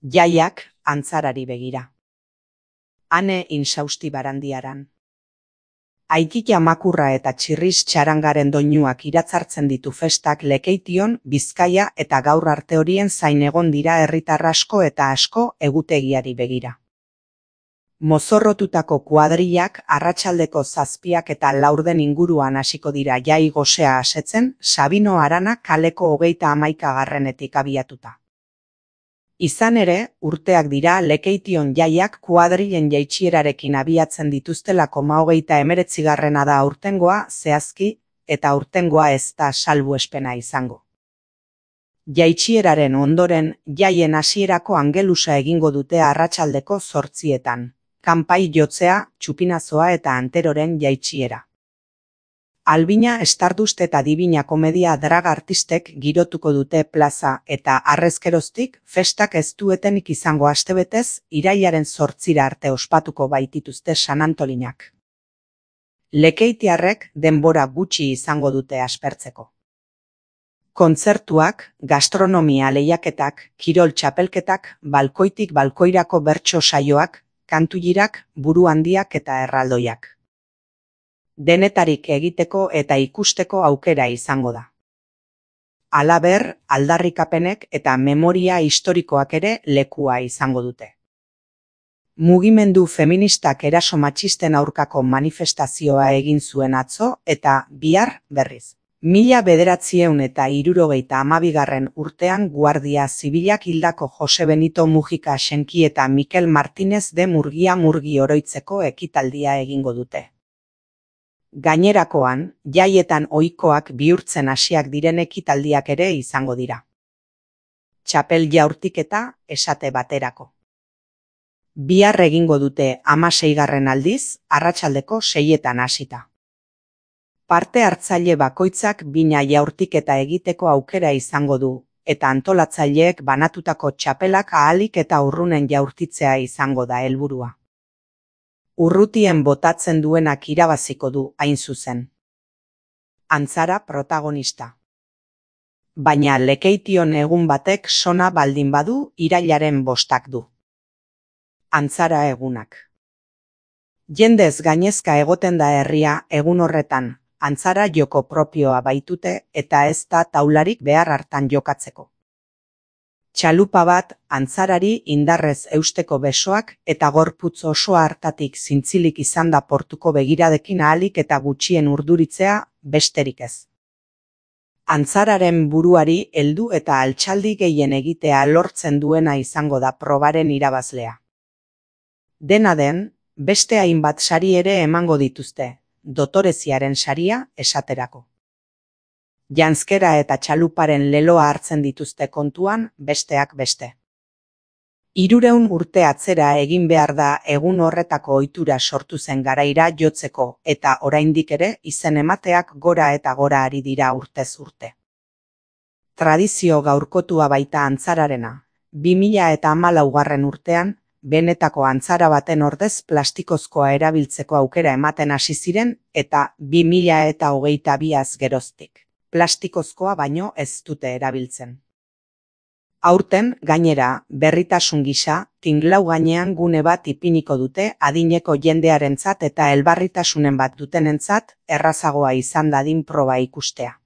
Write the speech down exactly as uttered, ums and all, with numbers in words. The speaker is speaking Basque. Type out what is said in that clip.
Jaiak antzarari begira. Ane insausti barandiaran. Aikila makurra eta txirriz txarangaren doinuak iratzartzen ditu festak Lekeition, Bizkaia eta gaur arte horien zain egon dira herritar asko eta asko egutegiari begira. Mozorrotutako kuadrillak arratsaldeko zazpiak eta laurden inguruan hasiko dira jai gosea asetzen, Sabino Arana kaleko hogeita hamaikagarrenetik abiatuta. Izan ere, urteak dira Lekeition jaiak kuadrilen jaitsierarekin abiatzen dituztelako hogeita hemeretzigarrena da aurtengoa zehazki, eta aurtengoa ez da salbuespena izango. Jaitsieraren ondoren, jaien hasierako angelusa egingo dute arratsaldeko zortzietan, kanpai jotzea, txupinazoa eta anteroren jaitsiera. Albina, Stardust eta Dibina komedia drag artistek girotuko dute plaza eta harrezkeroztik festak ez duetenik izango astebetez irailaren zortzira arte ospatuko baitituzte San Antolinak. Lekeitiarrek denbora gutxi izango dute aspertzeko. Kontzertuak, gastronomia lehiaketak, kirol txapelketak, balkoitik balkoirako bertso saioak, kantuirak, buru handiak eta erraldoiak. Denetarik egiteko eta ikusteko aukera izango da. Halaber, aldarrikapenek eta memoria historikoak ere lekua izango dute. Mugimendu feministak eraso matxisten aurkako manifestazioa egin zuen atzo eta bihar berriz. Mila bederatziehun eta hirurogeita hamabigarren urtean Guardia Zibilak hildako Jose Benito Mujika Senki eta Mikel Martinez de Murgia Murgi oroitzeko ekitaldia egingo dute. Gainerakoan, jaietan ohikoak bihurtzen hasiak diren ekitaldiak ere izango dira. Txapel jaurtiketa esate baterako. Bihar egingo dute hamaseigarren aldiz, arratsaldeko seietan hasita. Parte hartzaile bakoitzak bina jaurtiketa egiteko aukera izango du, eta antolatzaileek banatutako txapelak ahalik eta urrunen jaurtitzea izango da helburua. Urrutien botatzen duenak irabaziko du hain zuzen. Antzara protagonista. Baina Lekeition egun batek sona baldin badu irailaren bostak du. Antzara egunak. Jendez gainezka egoten da herria egun horretan, antzara joko propioa baitute eta ez da taularik behar hartan jokatzeko. Txalupa bat, antzarari indarrez eusteko besoak eta gorputz osoa hartatik zintzilik izan da portuko begiradekin ahalik eta gutxien urduritzea besterik ez. Antzararen buruari heldu eta altxaldi gehien egitea lortzen duena izango da probaren irabazlea. Dena den, beste hainbat sari ere emango dituzte, dotoreziaren saria esaterako. Janzkera eta txaluparen leloa hartzen dituzte kontuan besteak beste. Hirurehun urte atzera egin behar da egun horretako ohitura sortu zen garaira jotzeko eta oraindik ere izen emateak gora eta gora ari dira urtez urte. Tradizio gaurkotua baita antzararena, bi mila eta hamalaugarren urtean, benetako antzara baten ordez plastikozkoa erabiltzeko aukera ematen hasi ziren eta bi mila eta hogeita biaz geroztik. Plastikozkoa baino ez dute erabiltzen. Aurten, gainera, berritasun gisa, tinglau gainean gune bat ipiniko dute adineko jendearentzat eta elbarritasunen bat dutenentzat errazagoa izan dadin proba ikustea.